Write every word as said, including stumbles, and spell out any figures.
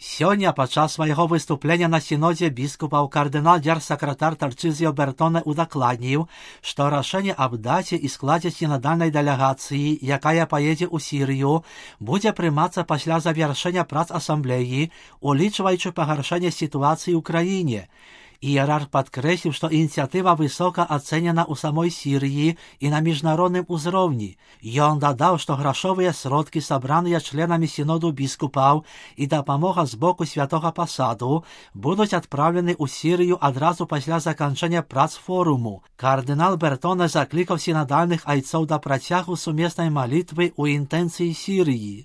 Сёння падчас свайго выступлення на сінодзе біскупаў кардынал-дзярсакратар Тарчызіо Бертоне удакладніў, што рашэнне аб даце і складзе сінадальнай дэлегацыі, якая паедзе ў Сірыю, будзе прымацца пасля завяршэння прац асамблеі, улічваючы пагаршэнне сітуацыі ў краіне. Іерарх падкрэсліў, што ініцыятыва высока ацэнена ў самой Сірыі і на міжнародным узроўні. Ён дадаў, што грашовыя сродкі, сабраныя членамі сіноду біскупаў і дапамога з боку святога пасаду будуць адпраўлены ў Сірыю адразу пасля заканчэння прац форуму. Кардынал Бертоне заклікаў сінадальных айцоў да працягу сумеснай малітвы ў інтэнцыі Сірыі.